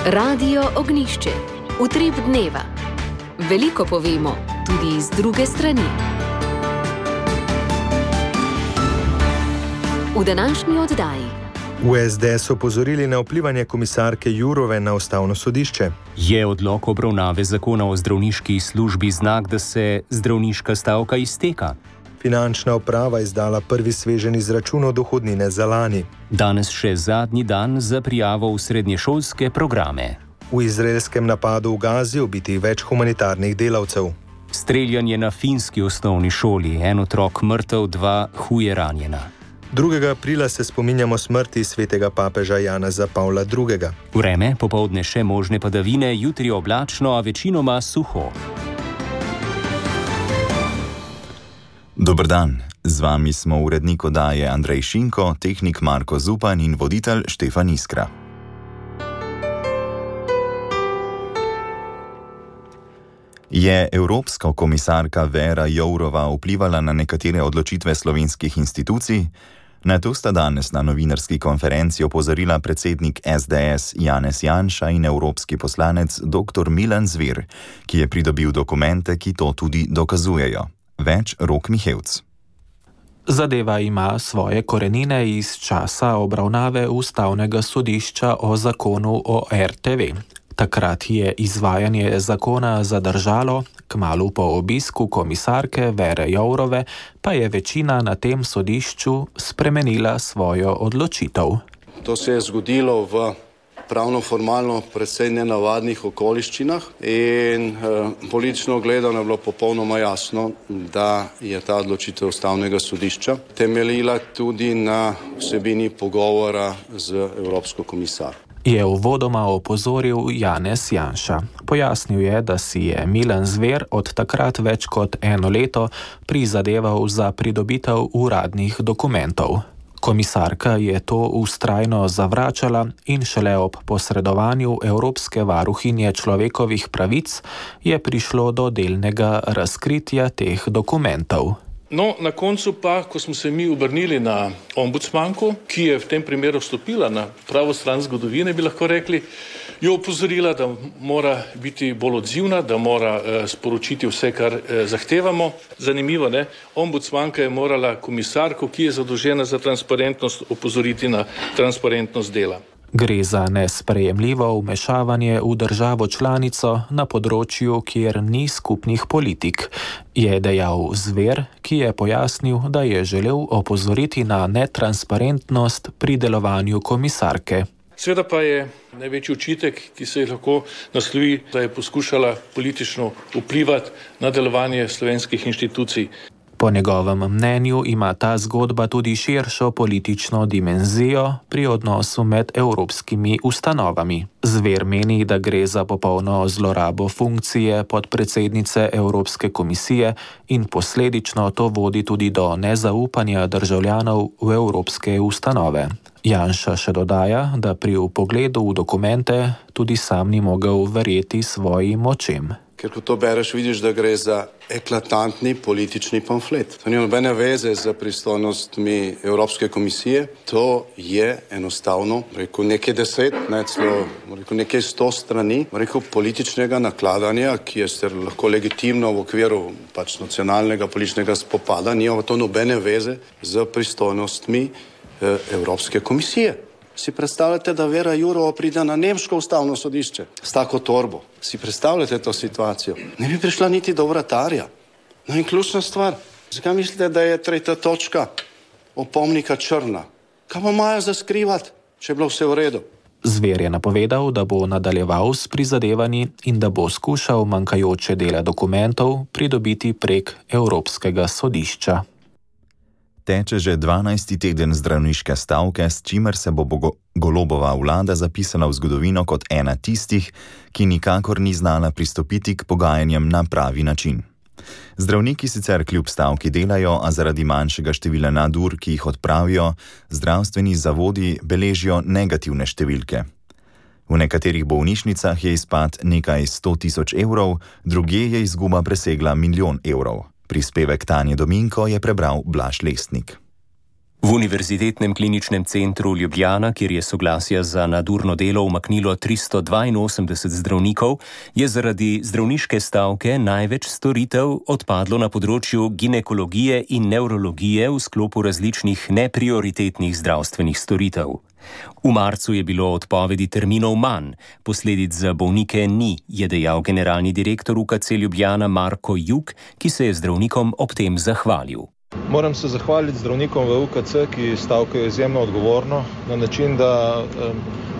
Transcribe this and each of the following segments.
Radio Ognišče, utrip dneva. Veliko povemo, tudi iz druge strani. V današnji oddaji. V SDS opozorili na vplivanje komisarke Jourove na ustavno sodišče. Je odlok obravnave zakona o zdravniški službi znak, da se zdravniška stavka izteka? Finančna uprava izdala prvi sveženj izračunov dohodnine za lani. Danes še zadnji dan za prijavo v srednješolske programe. V izraelskem napadu v Gazi ubiti več humanitarnih delavcev. Streljanje na finski osnovni šoli, en otrok mrtev, 2 huje ranjena. 2. aprila se spominjamo smrti svetega papeža Janeza Pavla II. Vreme, popoldne še možne padavine, jutri oblačno, a večinoma suho. Dober dan, z vami smo urednik oddaje Andrej Šinko, tehnik Marko Zupan in voditelj Štefan Iskra. Je evropska komisarka Věra Jourova vplivala na nekatere odločitve slovenskih institucij? Na to sta danes na novinarski konferenci opozorila predsednik SDS Janez Janša in evropski poslanec dr. Milan Zver, ki je pridobil dokumente, ki to tudi dokazujejo. Več Rok Mihevc. Zadeva ima svoje korenine iz časa obravnave Ustavnega sodišča o zakonu o RTV. Takrat je izvajanje zakona zadržalo, kmalu po obisku komisarke Věre Jourove pa je večina na tem sodišču spremenila svojo odločitev. To se je zgodilo v pravno-formalno precej nenavadnih okoliščinah in politično gledano je bilo popolnoma jasno, da je ta odločitev Ustavnega sodišča temeljila tudi na vsebini pogovora z Evropsko komisarko. Je uvodoma opozoril Janez Janša. Pojasnil je, da si je Milan Zver od takrat več kot 1 leto prizadeval za pridobitev uradnih dokumentov. Komisarka je to vztrajno zavračala in šele ob posredovanju Evropske varuhinje človekovih pravic je prišlo do delnega razkritja teh dokumentov. No, na koncu pa, ko smo se mi obrnili na ombudsmanko, ki je v tem primeru stopila na pravo stran zgodovine, bi lahko rekli, jo opozorila, da mora biti bolj odzivna, da mora sporočiti vse, kar zahtevamo. Zanimivo, ne? Ombudsmanka je morala komisarko, ki je zadolžena za transparentnost, opozoriti na transparentnost dela. Gre za nesprejemljivo vmešavanje v državo članico na področju, kjer ni skupnih politik, je dejal Zver, ki je pojasnil, da je želel opozoriti na netransparentnost pri delovanju komisarke. Seveda pa je največji očitek, ki se lahko naslovi, da je poskušala politično vplivati na delovanje slovenskih inštitucij. Po njegovem mnenju ima ta zgodba tudi širšo politično dimenzijo pri odnosu med evropskimi ustanovami. Zver meni, da gre za popolno zlorabo funkcije podpredsednice Evropske komisije in posledično to vodi tudi do nezaupanja državljanov v evropske ustanove. Janša še dodaja, da pri vpogledu v dokumente tudi sam ni mogel verjeti svojim očem. Ker ko to bereš, vidiš, da gre za eklatantni politični pamflet. To ni nobene veze z pristojnostmi Evropske komisije. To je enostavno, nekaj 10, nekaj 100 strani, političnega nakladanja, ki je lahko legitimno v okviru nacionalnega političnega spopada, nima to nobene veze z pristojnostmi Evropske komisije. Si predstavljate, da Věra Jourova pride na nemško ustavno sodišče s tako torbo? Si predstavljate to situacijo? Ne bi prišla niti do vratarja. No in ključna stvar, zakaj mislite, da je 3. točka opomnika črna? Kaj pa imajo za skrivati, če je bilo vse v redu? Zver je napovedal, da bo nadaljeval s prizadevanji in da bo skušal manjkajoče dele dokumentov pridobiti prek Evropskega sodišča. Teče že 12. teden zdravniške stavke, s čimer se bo Golobova vlada zapisala v zgodovino kot ena tistih, ki nikakor ni znala pristopiti k pogajanjem na pravi način. Zdravniki sicer kljub stavki delajo, a zaradi manjšega števila nadur, ki jih odpravijo, zdravstveni zavodi beležijo negativne številke. V nekaterih bolnišnicah je izpad nekaj 100 000 evrov, drugje je izguba presegla 1 milijon evrov. Prispevek Tanje Dominko je prebral Blaž Lestnik. V Univerzitetnem kliničnem centru Ljubljana, kjer je soglasja za nadurno delo umaknilo 382 zdravnikov, je zaradi zdravniške stavke največ storitev odpadlo na področju ginekologije in nevrologije v sklopu različnih neprioritetnih zdravstvenih storitev. V marcu je bilo odpovedi terminov manj, posledic za bolnike ni, je dejal generalni direktor UKC Ljubljana Marko Jug, ki se je zdravnikom ob tem zahvalil. Moram se zahvaliti zdravnikom v UKC, ki stavkajo izjemno odgovorno, na način, da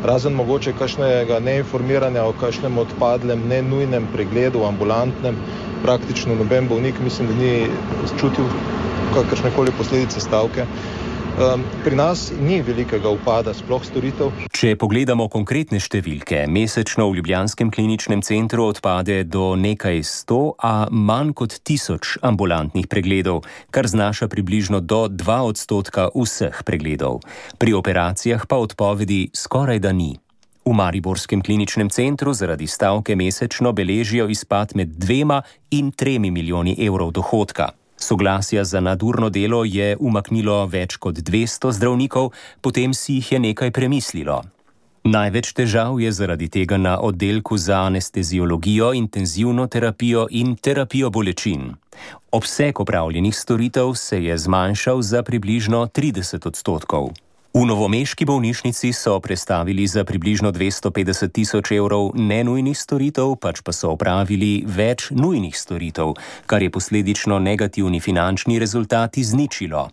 razen mogoče kakšnega neinformiranja o kakšnem odpadlem, nenujnem pregledu, ambulantnem, praktično noben bolnik mislim, da ni čutil kakršnekoli posledice stavke. Pri nas ni velikega upada sploh storitev. Če pogledamo konkretne številke, mesečno v Ljubljanskem kliničnem centru odpade do nekaj 100, a manj kot 1000 ambulantnih pregledov, kar znaša približno do 2% vseh pregledov. Pri operacijah pa odpovedi skoraj da ni. V mariborskem kliničnem centru zaradi stavke mesečno beležijo izpad med 2 in 3 milijoni evrov dohodka. Soglasja za nadurno delo je umaknilo več kot 200 zdravnikov, potem si jih je nekaj premislilo. Največ težav je zaradi tega na oddelku za anesteziologijo, intenzivno terapijo in terapijo bolečin. Obseg opravljenih storitev se je zmanjšal za približno 30%. V novomeški bolnišnici so prestavili za približno 250 tisoč evrov nenujnih storitev, pač pa so opravili več nujnih storitev, kar je posledično negativni finančni rezultat izničilo.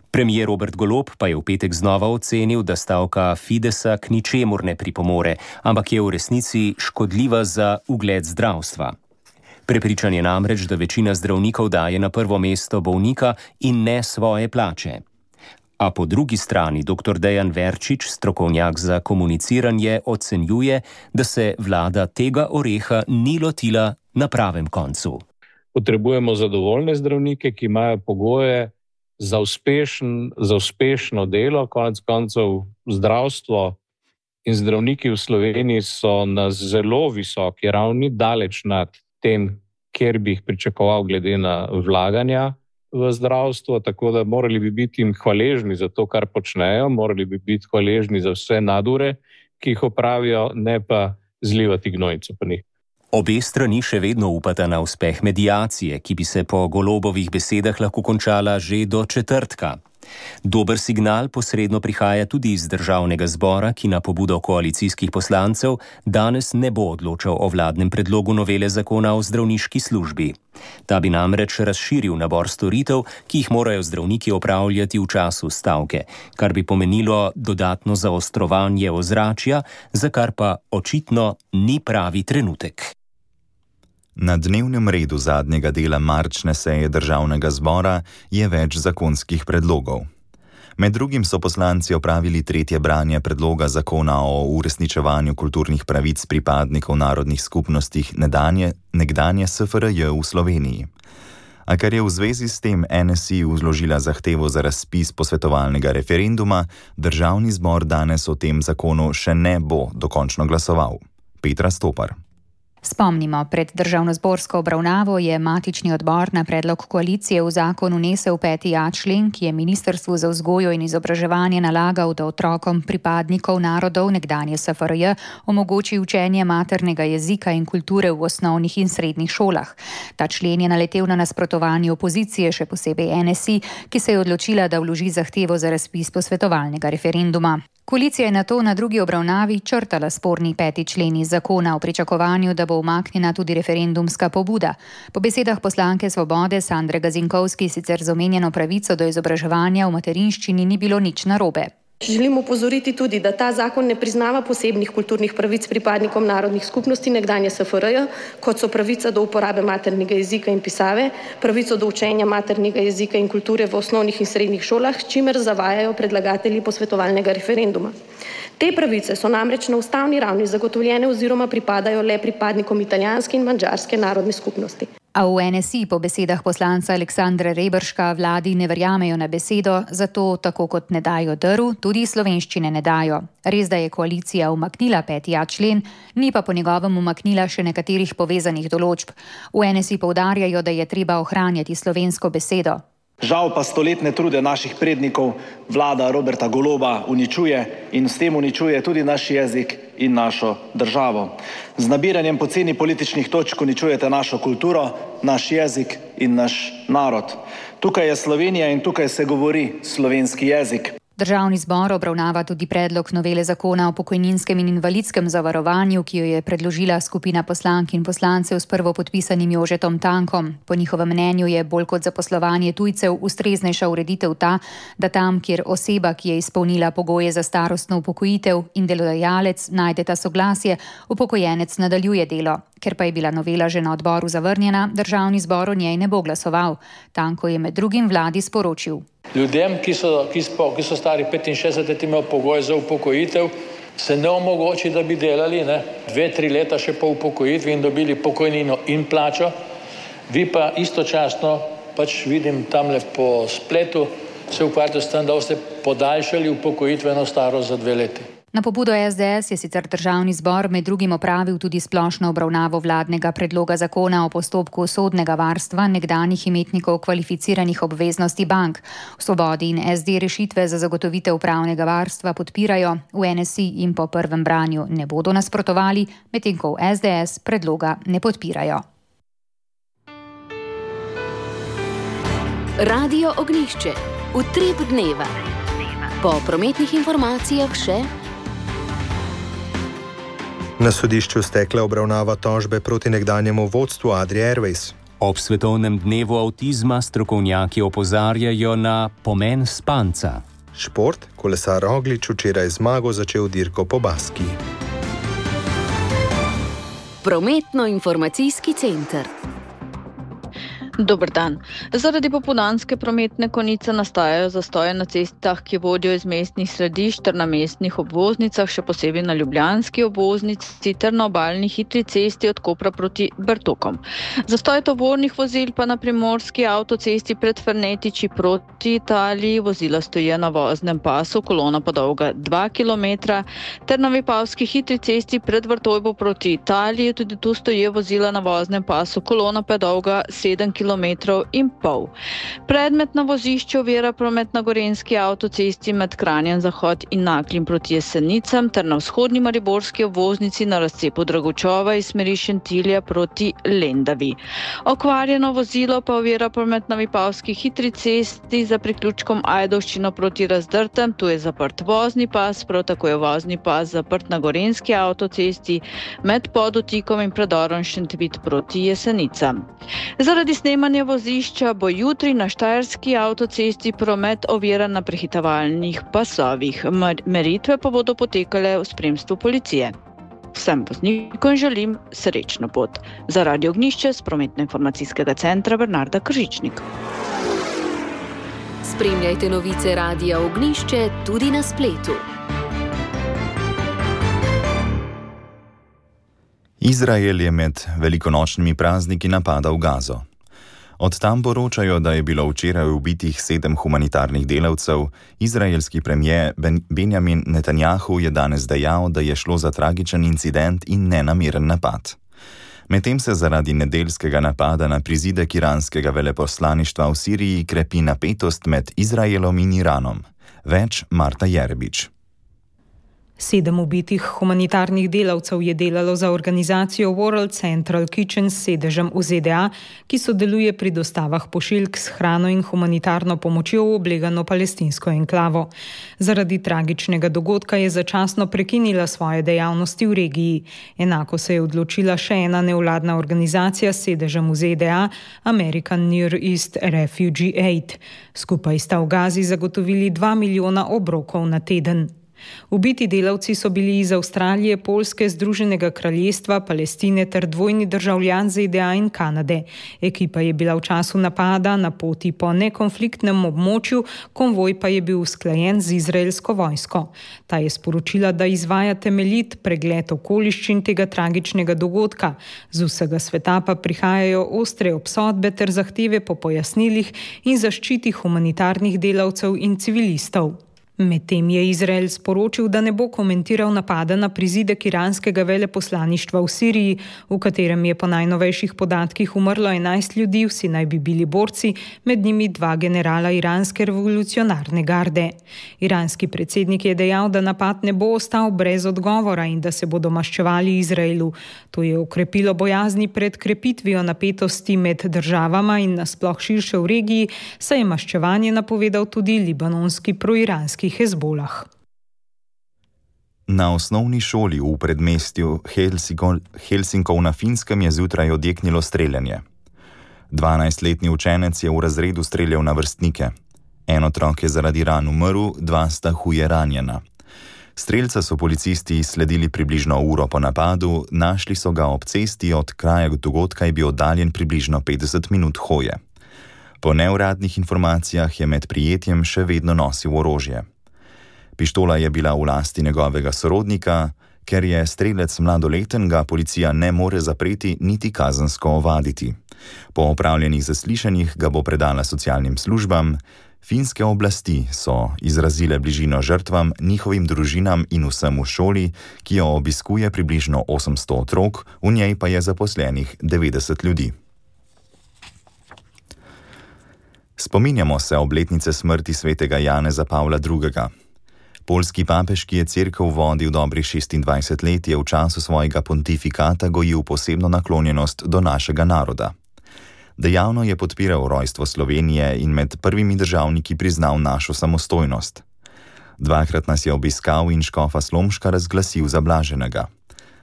Premier Robert Golob pa je v petek znova ocenil, da stavka Fidesa k ničemur ne pripomore, ampak je v resnici škodljiva za ugled zdravstva. Prepričan je namreč, da večina zdravnikov daje na prvo mesto bolnika in ne svoje plače. A po drugi strani dr. Dejan Verčič, strokovnjak za komuniciranje, ocenjuje, da se vlada tega oreha ni lotila na pravem koncu. Potrebujemo zadovoljne zdravnike, ki imajo pogoje za uspešno delo, konec koncev zdravstvo in zdravniki v Sloveniji so na zelo visoki ravni, daleč nad tem, kjer bi jih pričakoval glede na vlaganja v zdravstvo, tako da morali bi biti jim hvaležni za to, kar počnejo, morali bi biti hvaležni za vse nadure, ki jih opravijo, ne pa zlivati gnojnico po njih. Obe strani še vedno upata na uspeh mediacije, ki bi se po Golobovih besedah lahko končala že do četrtka. Dober signal posredno prihaja tudi iz Državnega zbora, ki na pobudo koalicijskih poslancev danes ne bo odločal o vladnem predlogu novele zakona o zdravniški službi. Ta bi namreč razširil nabor storitev, ki jih morajo zdravniki opravljati v času stavke, kar bi pomenilo dodatno zaostrovanje ozračja, za kar pa očitno ni pravi trenutek. Na dnevnem redu zadnjega dela marčne seje Državnega zbora je več zakonskih predlogov. Med drugim so poslanci opravili tretje branje predloga zakona o uresničevanju kulturnih pravic pripadnikov narodnih skupnosti nekdanje SFRJ v Sloveniji. A ker je v zvezi s tem NSI vložila zahtevo za razpis posvetovalnega referenduma, Državni zbor danes o tem zakonu še ne bo dokončno glasoval. Petra Stopar. Spomnimo, pred državnozborsko obravnavo je matični odbor na predlog koalicije v zakon vnesel 5.a člen, ki je Ministrstvu za vzgojo in izobraževanje nalagal, da otrokom pripadnikov narodov nekdanje SFRJ omogoči učenje maternega jezika in kulture v osnovnih in srednjih šolah. Ta člen je naletel na nasprotovanje opozicije, še posebej NSI, ki se je odločila, da vloži zahtevo za razpis posvetovalnega referenduma. Koalicija je nato na drugi obravnavi črtala sporni 5. člen iz zakona v pričakovanju, da bo umaknjena tudi referendumska pobuda. Po besedah poslanke Svobode Sandre Gazinkovski sicer z omenjeno pravico do izobraževanja v materinščini ni bilo nič narobe. Želim opozoriti tudi, da ta zakon ne priznava posebnih kulturnih pravic pripadnikom narodnih skupnosti nekdanje SFRJ, kot so pravica do uporabe maternega jezika in pisave, pravico do učenja maternega jezika in kulture v osnovnih in srednjih šolah, s čimer zavajajo predlagatelji posvetovalnega referenduma. Te pravice so namreč na ustavni ravni zagotovljene oziroma pripadajo le pripadnikom italijanske in madžarske narodne skupnosti. A v NSI po besedah poslanca Aleksandra Reberška vladi ne verjamejo na besedo, zato tako kot ne dajo drv, tudi slovenščine ne dajo. Res, da je koalicija umaknila 5.a člen, ni pa po njegovem umaknila še nekaterih povezanih določb. V NSI poudarjajo, da je treba ohranjati slovensko besedo. Žal pa stoletne trude naših prednikov vlada Roberta Goloba uničuje in s tem uničuje tudi naš jezik in našo državo. Z nabiranjem poceni političnih točk uničujete našo kulturo, naš jezik in naš narod. Tukaj je Slovenija in tukaj se govori slovenski jezik. Državni zbor obravnava tudi predlog novele zakona o pokojninskem in invalidskem zavarovanju, ki jo je predložila skupina poslank in poslancev s prvopodpisanim Jožetom Tankom. Po njihovem mnenju je bolj kot zaposlovanje tujcev ustreznejša ureditev ta, da tam, kjer oseba, ki je izpolnila pogoje za starostno upokojitev in delodajalec najdeta soglasje, upokojenec nadaljuje delo. Ker pa je bila novela že na odboru zavrnjena, državni zbor o njej ne bo glasoval. Tanko je med drugim vladi sporočil. Ljudem, ki so stari 65 let, imajo pogoj za upokojitev, se ne omogoči, da bi delali 2-3 leta še po upokojitvi in dobili pokojnino in plačo. Vi pa istočasno, vidim tamle po spletu, se ukvarjate s tem, da boste podaljšali upokojitveno starost za 2 leti. Na pobudo SDS je sicer državni zbor med drugim opravil tudi splošno obravnavo vladnega predloga zakona o postopku sodnega varstva nekdanjih imetnikov kvalificiranih obveznosti bank. V Svobodi in SD rešitve za zagotovitev pravnega varstva podpirajo, v NSI in po prvem branju ne bodo nasprotovali, medtem ko v SDS predloga ne podpirajo. Radio Ognjišče. Utrip dneva. Po prometnih informacijah še... Na sodišču stekla obravnava tožbe proti nekdanjemu vodstvu Adria Airways. Ob svetovnem dnevu avtizma strokovnjaki opozarjajo na pomen spanca. Šport, kolesar Roglič včeraj zmago začel dirko po Baski. Prometno-informacijski center. Dober dan. Zaradi popoldanske prometne konice nastajajo zastoje na cestah, ki vodijo iz mestnih središč ter na mestnih obvoznicah, še posebej na ljubljanski obvoznici ter na obalni hitri cesti od Kopra proti Bertokom. Zastoj tovornih vozil pa na primorski avtocesti pred Fernetiči proti Italiji, vozila stojijo na voznem pasu, kolona pa dolga 2 km, ter na Vipavski hitri cesti pred Vrtojbo proti Italiji, tudi tu stojijo vozila na voznem pasu, kolona pa dolga 7 km. In pol. Predmetna vozišča ovira promet na gorenjski avtocesti med Kranjem Zahod in Naklim proti Jesenicam ter na vzhodni mariborski obvoznici na razcepu Dragočova iz smeri Šentilja proti Lendavi. Okvarjeno vozilo pa ovira promet na Vipavski hitri cesti za priključkom Ajdovščino proti Razdrtem, tu je zaprt vozni pas, prav tako je vozni pas zaprt na gorenjski avtocesti med Podotikom in predorom Šentvid proti Jesenicam. Zaradi snemanja vozišča bo jutri na štajerski avtocesti promet oviran na prehitevalnih pasovih. Meritve pa bodo potekale v spremstvu policije. Vsem voznikom želim srečno pot. Za Radio Ognjišče s prometno-informacijskega centra Bernarda Kržičnik. Spremljajte novice Radia Ognjišče tudi na spletu. Izrael je med velikonočnimi prazniki napadal Gazo. Od tam poročajo, da je bilo včeraj ubitih 7 humanitarnih delavcev. Izraelski premijer Benjamin Netanjahu je danes dejal, da je šlo za tragičen incident in nenameren napad. Medtem se zaradi nedeljskega napada na prizidek iranskega veleposlaništva v Siriji krepi napetost med Izraelom in Iranom. Več Marta Jerbič. 7 ubitih humanitarnih delavcev je delalo za organizacijo World Central Kitchen s sedežem v ZDA, ki sodeluje pri dostavah pošiljk s hrano in humanitarno pomočjo v oblegano palestinsko enklavo. Zaradi tragičnega dogodka je začasno prekinila svoje dejavnosti v regiji. Enako se je odločila še ena nevladna organizacija s sedežem v ZDA, American Near East Refugee Aid. Skupaj sta v Gazi zagotovili 2 milijona obrokov na teden. Ubiti delavci so bili iz Avstralije, Poljske, Združenega kraljestva, Palestine ter dvojni državljan ZDA in Kanade. Ekipa je bila v času napada na poti po nekonfliktnem območju, konvoj pa je bil usklajen z izraelsko vojsko. Ta je sporočila, da izvaja temeljit pregled okoliščin tega tragičnega dogodka. Z vsega sveta pa prihajajo ostre obsodbe ter zahteve po pojasnilih in zaščiti humanitarnih delavcev in civilistov. Medtem je Izrael sporočil, da ne bo komentiral napada na prizidek iranskega veleposlaništva v Siriji, v katerem je po najnovejših podatkih umrlo 11 ljudi, vsi naj bi bili borci, med njimi 2 generala iranske revolucionarne garde. Iranski predsednik je dejal, da napad ne bo ostal brez odgovora in da se bodo maščevali Izraelu. To je okrepilo bojazni pred krepitvijo napetosti med državama in nasploh širše v regiji, saj je maščevanje napovedal tudi libanonski proiranski Hezbolah. Na osnovni šoli v predmestju Helsinkov na Finskem je zjutraj odjeknilo streljanje. 12-letni učenec je v razredu streljal na vrstnike. En otrok je zaradi ran umrl, 2 sta huje ranjena. Strelca so policisti sledili približno uro po napadu, našli so ga ob cesti, od kraja dogodka je bil oddaljen približno 50 minut hoje. Po neuradnih informacijah je med prijetjem še vedno nosil orožje. Pištola je bila v lasti njegovega sorodnika, ker je strelec mladoleten, ga policija ne more zapreti niti kazensko ovaditi. Po opravljenih zaslišanjih ga bo predala socialnim službam. Finske oblasti so izrazile bližino žrtvam, njihovim družinam in vsem v šoli, ki jo obiskuje približno 800 otrok, v njej pa je zaposlenih 90 ljudi. Spominjamo se obletnice smrti svetega Janeza Pavla II. Poljski papež, ki je cerkev vodil dobrih 26 let, je v času svojega pontifikata gojil posebno naklonjenost do našega naroda. Dejavno je podpiral rojstvo Slovenije in med prvimi državniki priznal našo samostojnost. 2-krat nas je obiskal in škofa Slomška razglasil za blaženega.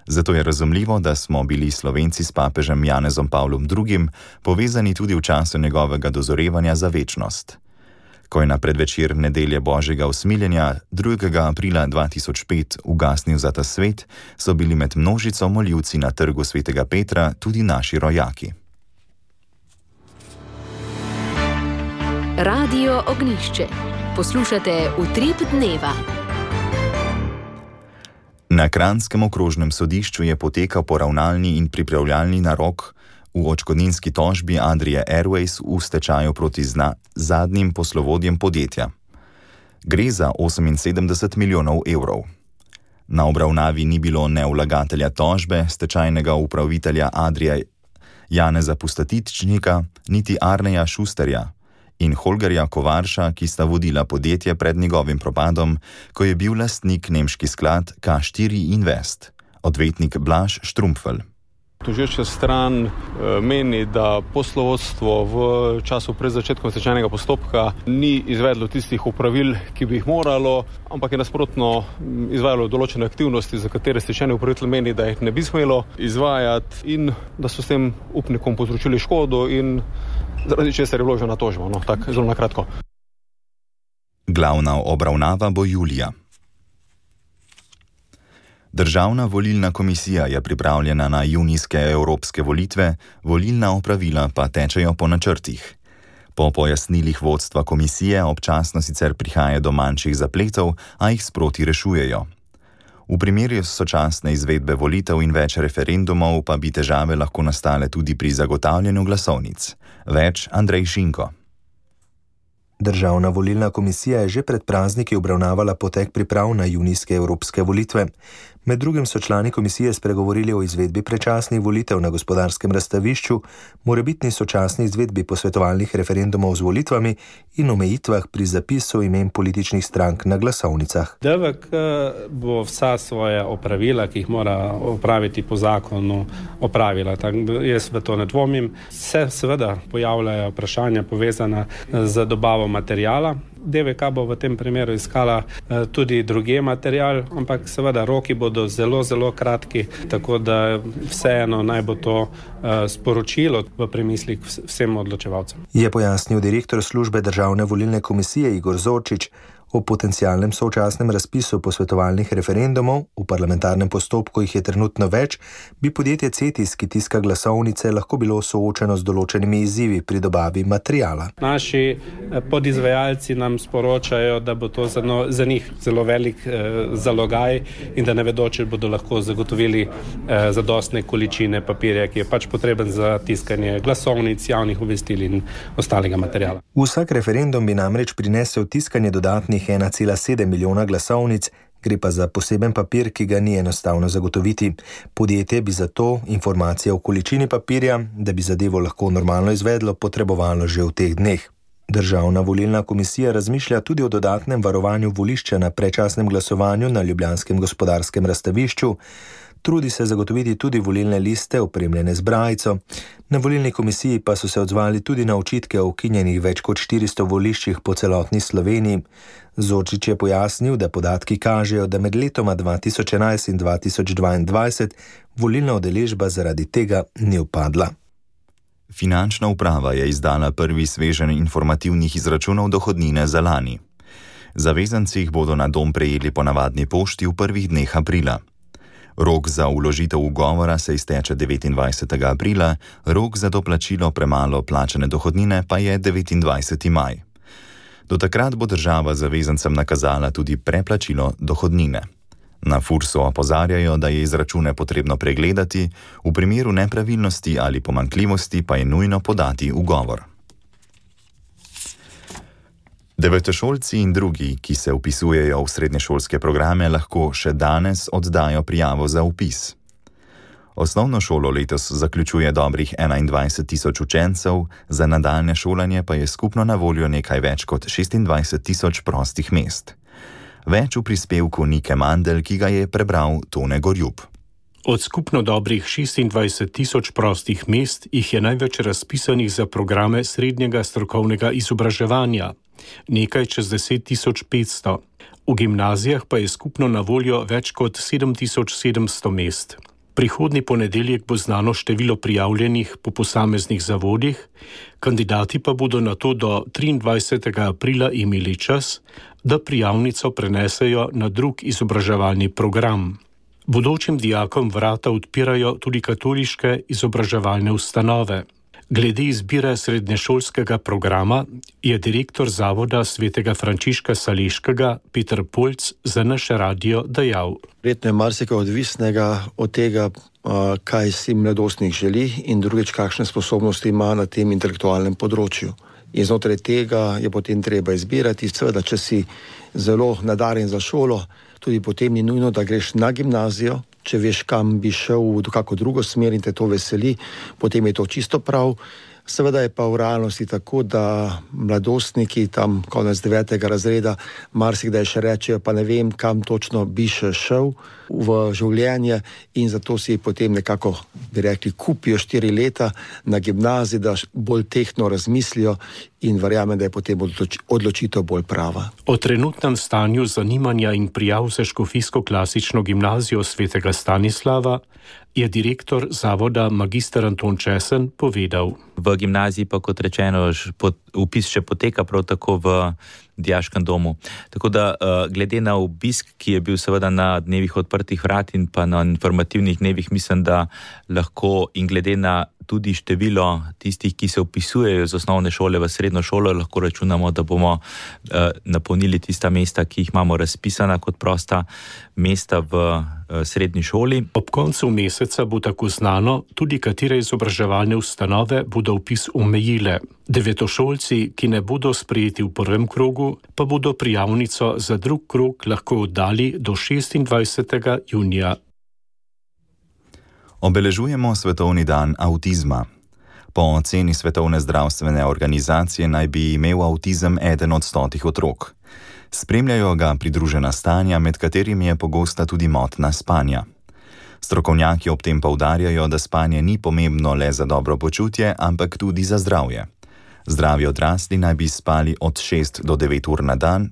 Zato je razumljivo, da smo bili Slovenci s papežem Janezom Pavlom II. Povezani tudi v času njegovega dozorevanja za večnost. Ko je na predvečer nedelje Božjega usmiljenja 2. aprila 2005 ugasnil za ta svet, so bili med množico moljivci na trgu svetega Petra tudi naši rojaki. Radio Ognišče. Poslušate Utrip dneva. Na Kranjskem okrožnem sodišču je potekal poravnalni in pripravljalni narok v odškodninski tožbi Adrie Airways v stečaju proti zadnjim poslovodjem podjetja. Gre za 78 milijonov evrov. Na obravnavi ni bilo ne vlagatelja tožbe, stečajnega upravitelja Adrie Janeza Pustatičnika, niti Arneja Šusterja in Holgerja Kovarša, ki sta vodila podjetje pred njegovim propadom, ko je bil lastnik nemški sklad K4 Invest, odvetnik Blaž Štrumpfel. Tožeča stran meni, da poslovodstvo v času pred začetkom stečajnega postopka ni izvedlo tistih opravil, ki bi jih moralo, ampak je nasprotno izvajalo določene aktivnosti, za katere stečajni upravitelj meni, da jih ne bi smelo izvajati in da so s tem upnikom povzročili škodo in zaradi česar je vložena tožba. No, tako zelo na kratko. Glavna obravnava bo julija. Državna volilna komisija je pripravljena na junijske evropske volitve, volilna opravila pa tečejo po načrtih. Po pojasnilih vodstva komisije občasno sicer prihaja do manjših zapletov, a jih sproti rešujejo. V primeru sočasne izvedbe volitev in več referendumov pa bi težave lahko nastale tudi pri zagotavljanju glasovnic. Več Andrej Šinko. Državna volilna komisija je že pred prazniki obravnavala potek priprav na junijske evropske volitve. Med drugim so člani komisije spregovorili o izvedbi predčasnih volitev na Gospodarskem razstavišču, morebitni sočasni izvedbi posvetovalnih referendumov z volitvami in omejitvah pri zapisu imen političnih strank na glasovnicah. DVK bo vsa svoja opravila, ki jih mora opraviti po zakonu, opravila. Jaz v to ne dvomim. Se seveda pojavljajo vprašanja povezana z dobavo materijala. DVK bo v tem primeru iskala tudi druge material, ampak seveda roki bodo zelo, zelo kratki, tako da vseeno naj bo to sporočilo v premislih vsem odločevalcem. Je pojasnil direktor službe Državne volilne komisije Igor Zorčič. O potencialnem sočasnem razpisu posvetovalnih referendumov, v parlamentarnem postopku jih je trenutno več, bi podjetje Cetis, ki tiska glasovnice, lahko bilo soočeno z določenimi izzivi pri dobavi materijala. Naši podizvajalci nam sporočajo, da bo to za njih zelo velik zalogaj in da ne vedo, če bodo lahko zagotovili zadostne količine papirja, ki je pač potreben za tiskanje glasovnic, javnih obvestil in ostalega materijala. Vsak referendum bi namreč prinesel tiskanje dodatnih izdanih 1,7 milijona glasovnic, gre pa za poseben papir, ki ga ni enostavno zagotoviti. Podjetje bi zato informacije o količini papirja, da bi zadevo lahko normalno izvedlo, potrebovalo že v teh dneh. Državna volilna komisija razmišlja tudi o dodatnem varovanju volišča na predčasnem glasovanju na ljubljanskem gospodarskem razstavišču. Trudi se zagotoviti tudi volilne liste opremljene z brajico. Na volilni komisiji pa so se odzvali tudi na očitke o ukinjenih več kot 400 voliščih po celotni Sloveniji. Zorčič je pojasnil, da podatki kažejo, da med letoma 2011 in 2022 volilna udeležba zaradi tega ni upadla. Finančna uprava je izdala prvi sveženj informativnih izračunov dohodnine za lani. Zavezanci jih bodo na dom prejeli po navadni pošti v prvih dneh aprila. Rok za vložitev ugovora se izteče 29. aprila, rok za doplačilo premalo plačane dohodnine pa je 29. maj. Do takrat bo država zavezancem nakazala tudi preplačilo dohodnine. Na Fursu opozarjajo, da je izračune potrebno pregledati, v primeru nepravilnosti ali pomanjkljivosti pa je nujno podati ugovor. Devetošolci in drugi, ki se vpisujejo v srednješolske programe, lahko še danes oddajo prijavo za vpis. Osnovno šolo letos zaključuje dobrih 21 tisoč učencev, za nadaljne šolanje pa je skupno na voljo nekaj več kot 26 tisoč prostih mest. Več v prispevku Nike Mandel, ki ga je prebral Tone Gorjub. Od skupno dobrih 26 tisoč prostih mest jih je največ razpisanih za programe srednjega strokovnega izobraževanja, nekaj čez 10.500. V gimnazijah pa je skupno na voljo več kot 7.700 mest. Prihodnji ponedeljek bo znano število prijavljenih po posameznih zavodih, kandidati pa bodo nato do 23. aprila imeli čas, da prijavnico prenesejo na drug izobraževalni program. Bodočim dijakom vrata odpirajo tudi katoliške izobraževalne ustanove. Glede izbire srednješolskega programa je direktor Zavoda svetega Frančiška Saleškega Peter Polc za naš radio dejal. Verjetno je marsikaj odvisnega od tega, kaj si mladostnik želi in drugič, kakšne sposobnosti ima na tem intelektualnem področju. In znotraj tega je potem treba izbirati. Seveda, če si zelo nadarjen za šolo, tudi potem ni nujno, da greš na gimnazijo. Če veš, kam bi šel v kako drugo smer in te to veseli, potem je to čisto prav. Seveda je pa v realnosti tako, da mladostniki tam konec 9. razreda marsikdaj še rečejo, pa ne vem, kam točno bi še šel v življenje in zato si potem nekako, bi rekli, kupijo 4 leta na gimnaziji, da bolj tehtno razmislijo in verjamem, da je potem odločitev bolj prava. O trenutnem stanju zanimanja in prijav za škofijsko klasično gimnazijo svetega Stanislava je direktor zavoda magister Anton Česen povedal. V gimnaziji pa, kot rečeno, vpis še poteka prav tako v dijaškem domu. Tako da glede na obisk, ki je bil seveda na dnevih odprtih vrat in pa na informativnih dnevih, mislim, da lahko in glede na tudi število tistih, ki se vpisujejo z osnovne šole v srednjo šolo, lahko računamo, da bomo napolnili tista mesta, ki jih imamo razpisana kot prosta mesta v srednji šoli. Ob koncu meseca bo tako znano tudi, katere izobraževalne ustanove bodo vpis omejile. Devetošolci, ki ne bodo sprejeti v prvem krogu, pa bodo prijavnico za drug krog lahko oddali do 26. junija. Obeležujemo Svetovni dan avtizma. Po oceni Svetovne zdravstvene organizacije naj bi imel avtizem 1 od 100 otrok. Spremljajo ga pridružena stanja, med katerimi je pogosta tudi motnja spanja. Strokovnjaki ob tem poudarjajo, da spanje ni pomembno le za dobro počutje, ampak tudi za zdravje. Zdravi odrasli naj bi spali od 6 do 9 ur na dan,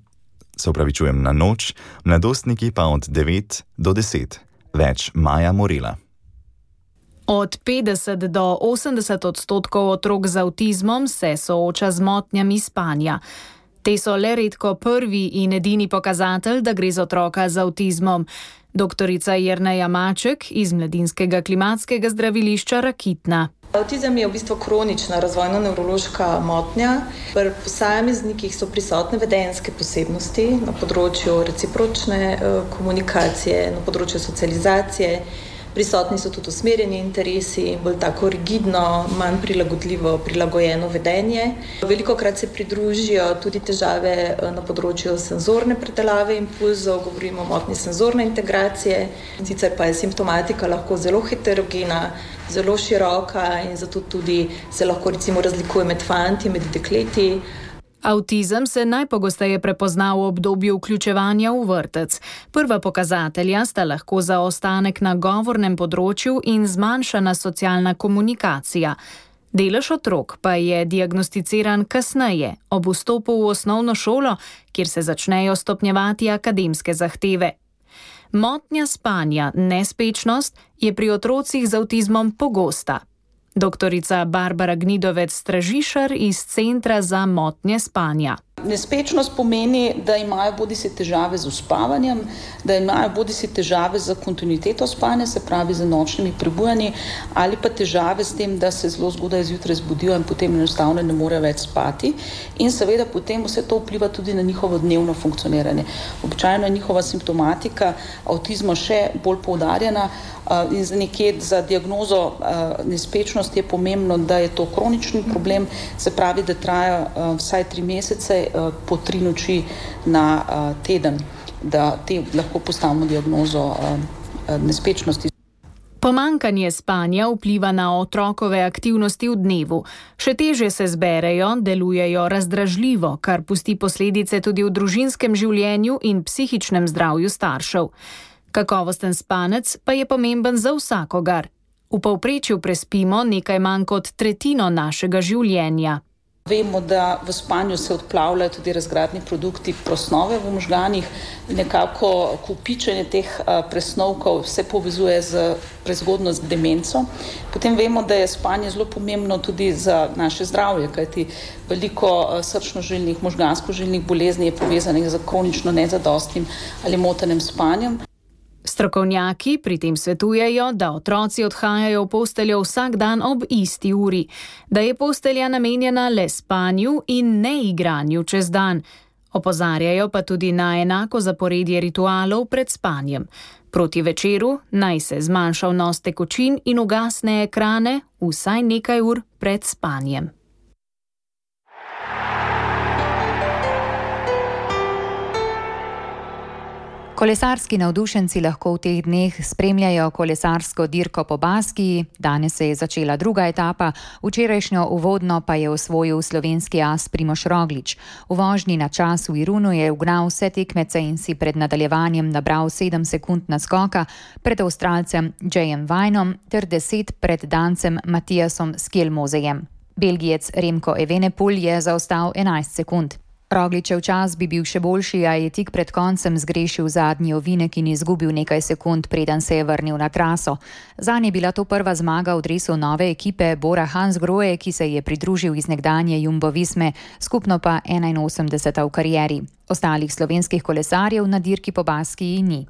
na noč, mladostniki pa od 9 do 10. Več Maja Morela. Od 50 do 80% otrok z avtizmom se sooča z motnjami spanja. Te so le redko prvi in edini pokazatelj, da gre za otroka z avtizmom. Doktorica Jerneja Maček iz Mladinskega klimatskega zdravilišča Rakitna. Avtizem je v bistvu kronična razvojno-nevrološka motnja. Pri posameznikih so prisotne vedenjske posebnosti na področju recipročne komunikacije, na področju socializacije, Prisotni so tudi usmerjeni interesi in bolj tako rigidno, manj prilagodljivo, prilagojeno vedenje. Velikokrat se pridružijo tudi težave na področju senzorne predelave impulzov, govorimo o motnji senzorne integracije, sicer pa je simptomatika lahko zelo heterogena, zelo široka in zato tudi se lahko recimo razlikuje med fanti, med dekleti. Avtizem se najpogosteje prepozna v obdobju vključevanja v vrtec. Prva pokazatelja sta lahko zaostanek na govornem področju in zmanjšana socialna komunikacija. Delež otrok pa je diagnosticiran kasneje, ob vstopu v osnovno šolo, kjer se začnejo stopnjevati akademske zahteve. Motnja spanja, nespečnost, je pri otrocih z avtizmom pogosta. Doktorica Barbara Gnidovec-Stražišar iz Centra za motnje spanja. Nespečnost pomeni, da imajo bodisi težave z uspavanjem, da imajo bodisi težave z kontinuiteto spanja, se pravi z nočnimi prebujanji, ali pa težave s tem, da se zelo zgodaj zjutraj zbudijo in potem enostavno ne morejo več spati. In seveda potem vse to vpliva tudi na njihovo dnevno funkcioniranje. Običajno je njihova simptomatika avtizma še bolj poudarjena in za diagnozo nespečnosti je pomembno, da je to kronični problem, se pravi, da traja vsaj 3 mesece, po 3 noči na teden, da te lahko postavimo diagnozo nespečnosti. Pomanjkanje spanja vpliva na otrokove aktivnosti v dnevu. Še težje se zberejo, delujejo razdražljivo, kar pusti posledice tudi v družinskem življenju in psihičnem zdravju staršev. Kakovosten spanec pa je pomemben za vsakogar. V povprečju prespimo nekaj manj kot tretjino našega življenja. Vemo, da v spanju se odplavljajo tudi razgradni produkti presnove v možganih. Nekako kopičenje teh presnovkov se povezuje z prezgodnjo demenco. Potem vemo, da je spanje zelo pomembno tudi za naše zdravje, kajti veliko srčno-žilnih, možgansko-žilnih bolezni je povezanih z kronično nezadostnim ali motenim spanjem. Strokovnjaki pri tem svetujejo, da otroci odhajajo v posteljo vsak dan ob isti uri, da je postelja namenjena le spanju in ne igranju čez dan. Opozarjajo pa tudi na enako zaporedje ritualov pred spanjem. Proti večeru naj se zmanjša vnos tekočin in ugasne ekrane vsaj nekaj ur pred spanjem. Kolesarski navdušenci lahko v teh dneh spremljajo kolesarsko dirko po Baskiji. Danes se je začela druga etapa, včerajšnjo uvodno pa je osvojil slovenski as Primož Roglič. V vožnji na čas v Irunu je ugnal vse tekmece in si pred nadaljevanjem nabral 7 sekund naskoka pred Avstralcem Jayem Vinom ter 10 pred Dancem Matijasom Skjelmozejem. Belgijec Remko Evenepoel je zaostal 11 sekund. Rogličev čas bi bil še boljši, a je tik pred koncem zgrešil zadnji ovinek in izgubil nekaj sekund, preden se je vrnil na traso. Zanj je bila to prva zmaga v dresu nove ekipe Bora Hansgrohe, ki se je pridružil iz nekdanje Jumbo Visme, skupno pa 81. v karieri. Ostalih slovenskih kolesarjev na dirki po Baskiji ni.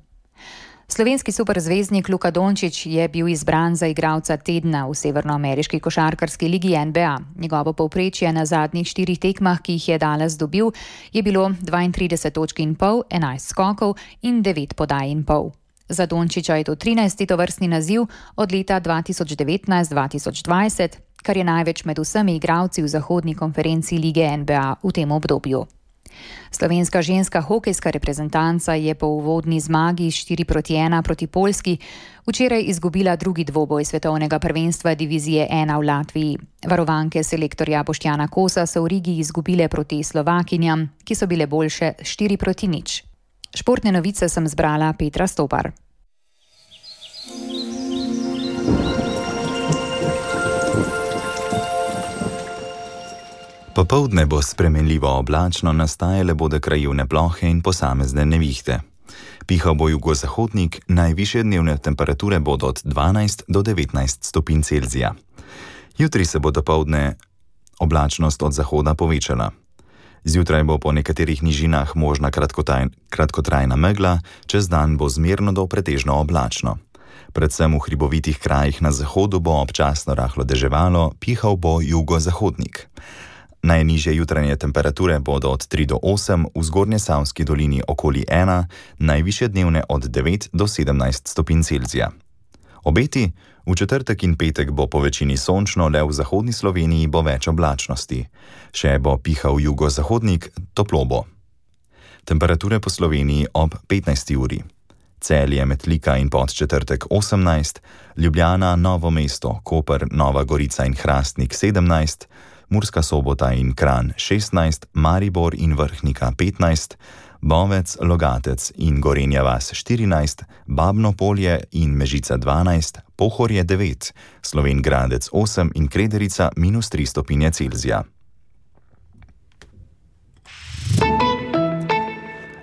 Slovenski superzvezdnik Luka Dončić je bil izbran za igralca tedna v severnoameriški košarkarski ligi NBA. Njegovo povprečje na zadnjih 4 tekmah, ki jih je Dallas dobil, je bilo 32,5 točk, 11 skokov in 9 podaj in pol. Za Dončića je to 13. tovrstni naziv od leta 2019-2020, kar je največ med vsemi igralci v zahodni konferenci lige NBA v tem obdobju. Slovenska ženska hokejska reprezentanca je po uvodni zmagi 4-1 proti Poljski včeraj izgubila drugi dvoboj svetovnega prvenstva divizije 1 v Latviji. Varovanke selektorja Boštjana Kosa so v Rigi izgubile proti Slovakinjam, ki so bile boljše 4-0. Športne novice sem zbrala Petra Stopar. Popoldne bo spremenljivo oblačno, nastajale bodo krajevne plohe in posamezne nevihte. Pihal bo jugozahodnik, najvišje dnevne temperature bodo od 12 do 19 stopinj Celzija. Jutri se bo dopoldne oblačnost od zahoda povečala. Zjutraj bo po nekaterih nižinah možna kratkotrajna megla, čez dan bo zmerno do pretežno oblačno. Predvsem v hribovitih krajih na zahodu bo občasno rahlo deževalo, pihal bo jugozahodnik. Najnižje jutranje temperature bodo od 3 do 8, v Zgornjesavski dolini okoli 1, najvišje dnevne od 9 do 17 stopinj Celzija. Obeti: v četrtek in petek bo po večini sončno, le v zahodni Sloveniji bo več oblačnosti. Še bo pihal jugozahodnik, toplo bo. Temperature po Sloveniji ob 15. uri. Celje, Metlika in Podčetrtek 18, Ljubljana, Novo mesto, Koper, Nova Gorica in Hrastnik 17, Murska Sobota in Kranj 16, Maribor in Vrhnika 15, Bovec, Logatec in Gorenja vas 14, Babno Polje in Mežica 12, Pohorje 9, Slovenj Gradec 8 in Krederica -3 stopinje Celzija.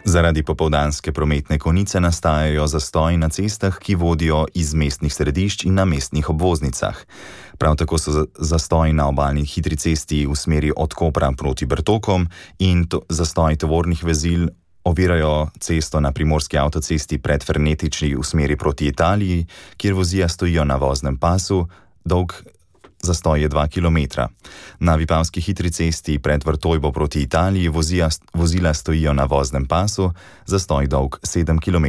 Zaradi popoldanske prometne konice nastajajo zastoji na cestah, ki vodijo iz mestnih središč in na mestnih obvoznicah. Prav tako so zastoji na obalni hitri cesti v smeri od Kopra proti Bertokom in zastoji tovornih vezil ovirajo cesto na primorski avtocesti pred Fernetiči v smeri proti Italiji, kjer vozila stojijo na voznem pasu, dolg zastoj je 2 km. Na Vipavski hitri cesti pred Vrtojbo proti Italiji vozila stojijo na voznem pasu, zastoj dolg 7,5 km.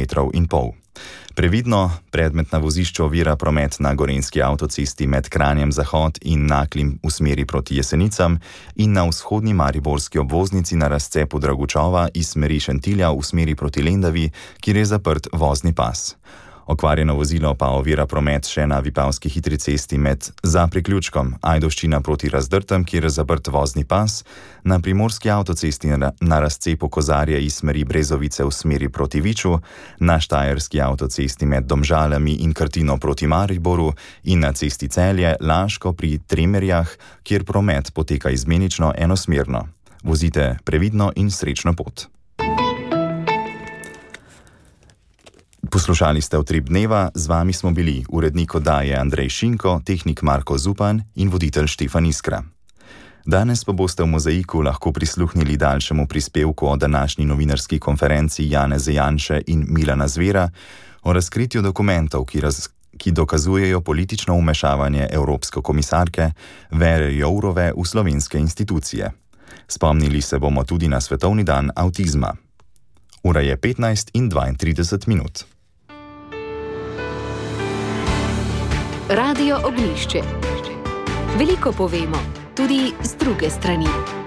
Previdno, predmet na vozišču ovira promet na Gorenjski avtocesti med Kranjem Zahod in Naklim v smeri proti Jesenicam in na vzhodni mariborski obvoznici na razcepu Dragučova iz smeri Šentilja v smeri proti Lendavi, kjer je zaprt vozni pas. Okvarjeno vozilo pa ovira promet še na Vipavski hitri cesti za priključkom Ajdovščina proti Razdrtem, kjer je zaprt vozni pas, na primorski avtocesti na razcepu Kozarje iz smeri Brezovice v smeri proti Viču, na štajerski avtocesti med Domžalami in Krtino proti Mariboru in na cesti Celje Laško pri Tremerjah, kjer promet poteka izmenično enosmerno. Vozite previdno in srečno pot. Poslušali ste Utrip dneva, z vami smo bili urednik oddaje Andrej Šinko, tehnik Marko Zupan in voditelj Štefan Iskra. Danes pa boste v Mozaiku lahko prisluhnili daljšemu prispevku o današnji novinarski konferenci Janeza Janše in Milana Zvera o razkritju dokumentov, ki dokazujejo politično vmešavanje evropske komisarke Vere Jourove v slovenske institucije. Spomnili se bomo tudi na Svetovni dan avtizma. Ura je 15:32. Radio Ognjišče. Veliko povemo, tudi z druge strani.